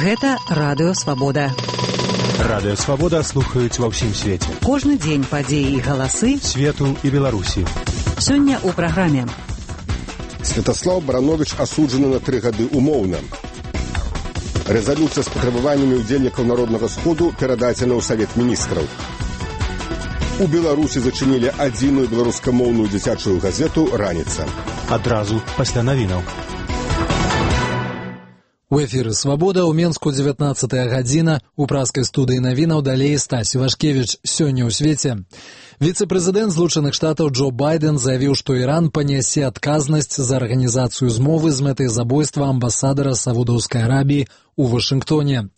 Гэта Радыё Свабода. Радыё Свабода слухаюць ва ўсім свеце. Кожны дзень падзеі і галасы свету і Беларусі. Сёння ў праграме. Святаслаў Барановіч асуджаны на 3 гады умоўна. Рэзалюцыя з патрабаваннямі ўдзельнікаў Народнага сходу перададзена ў Савет міністраў. У Беларусі зачынілі адзіную беларускамоўную дзіцячую газету «Раніца». Адразу пасля навінаў. У эфіры «Свабода» ў Менску 19 гадзіна. У праскай студыі навінаў далей Стась Івашкевіч. Сёння ў свеце. Віцэ-прэзідэнт Злучаных Штатаў Джо Байден заявіў, што Іран панясе адказнасць за арганізацыю змовы з мэтай забойства амбасадара Саудаўскай Арабіі у Вашынгтоне.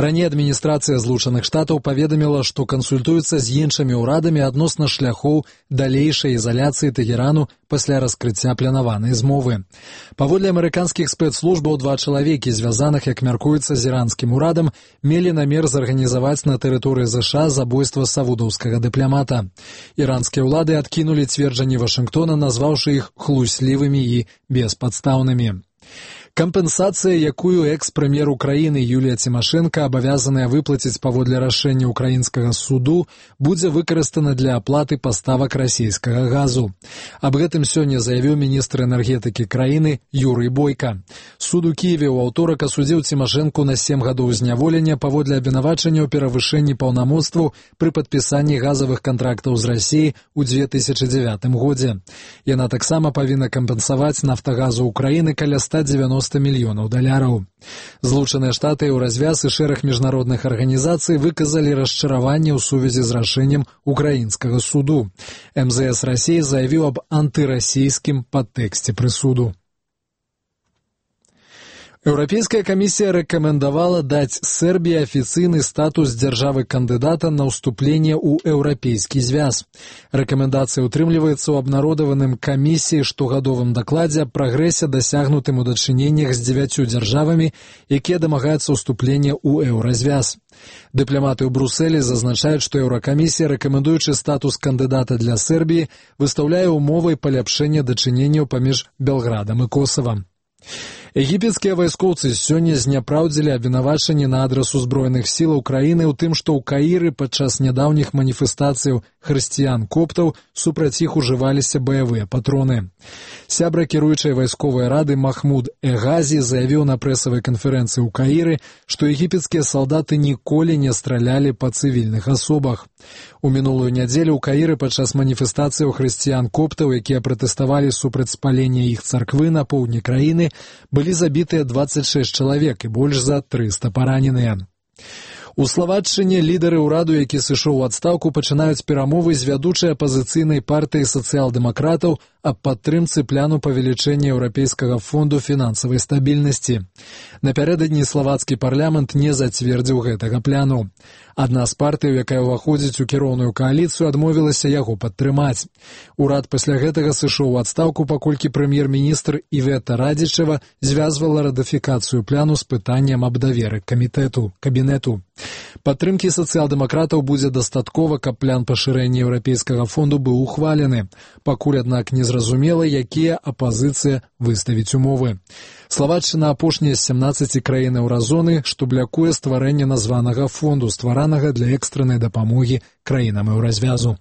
Раней адміністрацыя Злучаных Штатаў паведаміла, што кансультуецца з іншымі ўрадамі адносна шляхоў далейшай ізаляцыі Тэгерану пасля раскрыцця планаванай змовы. Паводле амерыканскіх спецслужбаў, 2 чалавекі, звязаных, як мяркуецца, з іранскім урадам, мелі намер зарганізаваць на тэрыторыі ЗША забойства саудаўскага дыпламата. Іранскія ўлады адкінулі цверджанні Вашынгтона, назваўшы іх хлуслівымі і беспадстаўнымі. Кампенсацыя, якую экс-прэм'ер Украіны Юлія Цімашэнка абавязаная выплаціць паводле рашэння ўкраінскага суду, будзе выкарыстана для аплаты паставак расійскага газу. Аб гэтым сёння заявіў міністр энергетыкі краіны Юрый Бойка. Суд у Кіеве ў аўторак асудзіў Цімашэнку на 7 гадоў зняволення паводле абвінавачання ў перавышэнні паўнамоцтваў пры падпісанні газавых кантрактаў з Расіяй у 2009 годзе. Яна таксама павінна кампенсаваць «Нафтагазу» Украіны каля $190 мільёнаў. Злучаныя Штаты ў развяз і шэраг міжнародных арганізацый выказалі расчараванне ў сувязі з рашэннем украінскага суду. МЗС Расіі заявіў аб антырасійскім падтэксце прысуду. Еўрапейская камісія рэкамендавала даць Сербіі афіцыйны статус дзяржавы-кандыдата на ўступленне ў Еўрапейскі звяз. Рэкамендацыя ўтрымліваецца ў абнародаваным камісіі штогадовым дакладзе аб прагрэсе, дасягнутым у дачыненнях з 9 дзяржавамі, якія дамагаюцца ўступлення ў Еўразвяз. Дыпламаты ў Брусэлі зазначаюць, што Еўракамісія, рэкамендуючы статус кандыдата для Сербіі, выстаўляе умовай паляпшэння дачыненняў паміж Белградам і Косавам. Егіпецкія вайскоўцы сёння зняпраўдзілі абвінавачанні на адрас узброеных сілаў краіны ў тым, што ў Каіры падчас нядаўніх маніфестацыяў хрысціян-коптаў супраць іх ужываліся баявыя патроны. Сябра кіруючай вайсковай рады Махмуд Эгазі заявіў на прэсавай канферэнцыі ў Каіры, што егіпецкія салдаты ніколі не стралялі па цывільных асобах. У мінулую нядзелю ў Каіры падчас маніфестацыяў хрысціян-коптаў, якія пратэставалі супраць спалення іх царквы на поўдні краіны, былі забітыя 26 чалавек і больш за 300 параненыя. У Славаччыне лідары ўраду, які сышоў у адстаўку, пачынаюць перамовы з вядучай апазіцыйнай партыяй сацыял-дэмакратаў аб падтрымцы пляну павелічэння Еўрапейскага фонду фінансавай стабільнасці. Напярэдадні славацкі парламент не зацвердзіў гэтага пляну. Адна з партыяў, якая ўваходзіць у кіроўную кааліцыю, адмовілася яго падтрымаць. Урад пасля гэтага сышоў у адстаўку, паколькі прэм'ер-міністр Івета Радзічева звязвала ратыфікацыю пляну з пытаннем аб даверы кабінету. Падтрымкі сацыял-дэмакратаў будзе дастаткова, каб плян пашырэння Еўрапейскага фонду быў ухвалены. Пакуль, аднак, незразумела, якія апазіцыя выставіць умовы. Славаччына апошняя з 17 краін еўразоны, што блякуе стварэнне названага фонду, стваранага для экстраннай дапамогі краінам еўразвязу.